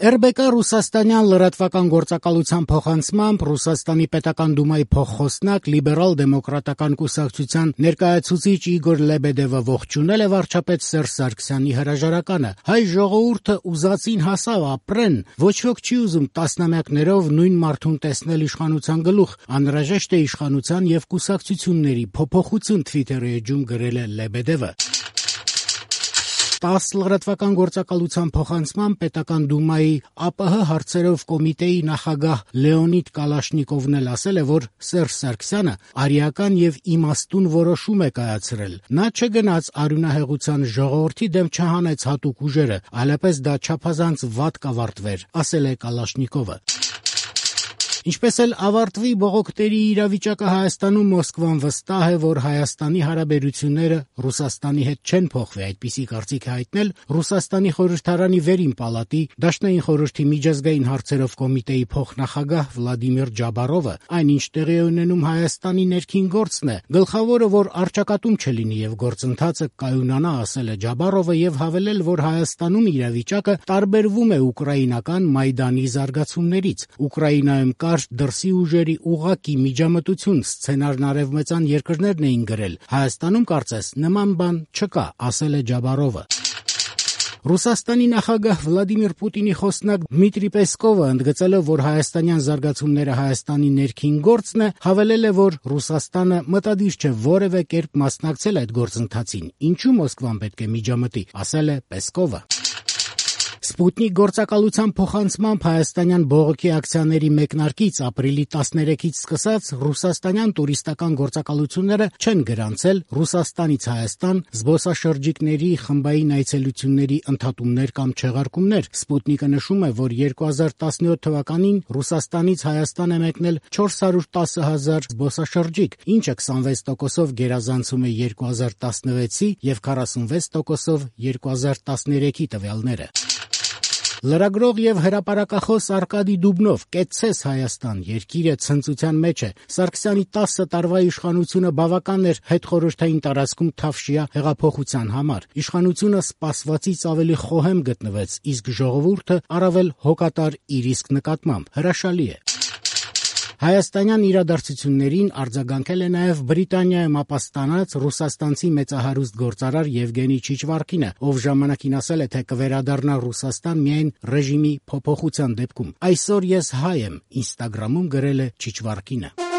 ՌԲԿ ռուսաստանյան լրատվական գործակալության փոխանցմամբ Ռուսաստանի պետական դումայի փոխխոսնակ լիբերալ-դեմոկրատական կուսակցության ներկայացուցիչ Իգոր Լեբեդևը ողջունել է վարչապետ Սերժ Սարգսյանի հրաժարականը։ Հայ ժողովուրդը ուզածին հասավ ապրեն, ոչ ոք չի ուզում տասնամյակներով նույն մարդուն տեսնել իշխանության գլուխ, անհրաժեշտ է իշխանության եւ կուսակցությունների փոփոխություն Twitter-ի էջում գրել է Լեբեդևը։ ՏԱՍՍ լրատվական գործակալության փոխանցմամբ պետական դումայի ԱՊՀ հարցերով կոմիտեի նախագահ Լեոնիդ Կալաշնիկովն էլ ասել է, որ Սերժ Սարգսյանը արիական եւ իմաստուն որոշում է կայացրել։ Նա չգնաց արյունահեղության ժողովրդի դեմ չհանեց հատուկ ուժերը, այլապես դա չափազանց վատ կավարտվեր, ասել է Կալաշնիկովը։ Ինչպես էլ ավարտվի բողոքների իրավիճակը Հայաստանում, Մոսկվան վստահ է, որ Հայաստանի հարաբերությունները Ռուսաստանի հետ չեն փոխվի, այդպիսի կարծիք է հայտնել Ռուսաստանի խորհրդարանի վերին պալատի Դաշնային խորհրդի միջազգային հարցերով կոմիտեի փոխնախագահ Վլադիմիր Ջաբարովը, այնինչ տեղի է ունենում Հայաստանի ներքին գործն է, գլխավորը, որ առճակատում չլինի եւ գործընթացը կայունանա, ասել է Ջաբարովը եւ հավելել, որ Հայաստանում իրավիճակը տարբերվում է ուկրաինական Մայդանի զարգացումներից։ Ուկրաինայում դրսի ուժերի ուղղակի միջամտություն սցենարն արևմտյան երկրներն էին գրել։ Հայաստանում կարծես նման բան չկա, ասել է Ջաբարովը։ Ռուսաստանի նախագահ Վլադիմիր Պուտինի խոսնակ Դմիտրի Պեսկովը ընդգծելով, որ հայաստանյան զարգացումները Հայաստանի ներքին գործն է, հավելել է, որ Ռուսաստանը մտադիր չէ որևէ կերպ մասնակցել այդ գործընթացին։ Ինչու Մոսկվան պետք է միջամտի, ասել է Պեսկովը։ Սպուտնիկ գործակալության փոխանցմամբ հայաստանյան բողոքի ակցիաների մեկնարկից ապրիլի 13-ից սկսած ռուսաստանյան տուրիստական գործակալությունները չեն գրանցել Ռուսաստանից Հայաստան զբոսաշրջիկների խմբային այցելությունների ընդհատումներ կամ չեղարկումներ։ Սպուտնիկը նշում է, որ 2017 թվականին Ռուսաստանից Հայաստան է մեկնել 410,000 զբոսաշրջիկ, ինչը 26%-ով գերազանցում է 2016-ի եւ 46%-ով 2013-ի տվյալները։ Լրագրող եւ հրապարակախոս Արկադի Դուբնով «Կեցցես Հայաստան» երկիրը ցնծության մեջ է։ Սարգսյանի 10 տարվա իշխանությունը բավական էր հետխորհրդային տարածքում թավշյա հեղափոխության համար։ Իշխանությունը սպասվածից ավելի խոհեմ գտնվեց, իսկ ժողովուրդը առավել հոգատար իր իսկ նկատմամբ։ Հրաշալի է։ Հայաստանյան իրադարձություններին արձագանքել է նաև Բրիտանիայում ապաստանած ռուսաստանցի մեծահարուստ գործարար Եվգենի Չիչվարկինը, ով ժամանակին ասել է, թե կվերադառնա Ռուսաստան միայն ռեժիմի փոփոխության դեպքում։ Այսօր ես հայ եմ, Ինստագրամում գրել է Չիչվարկինը։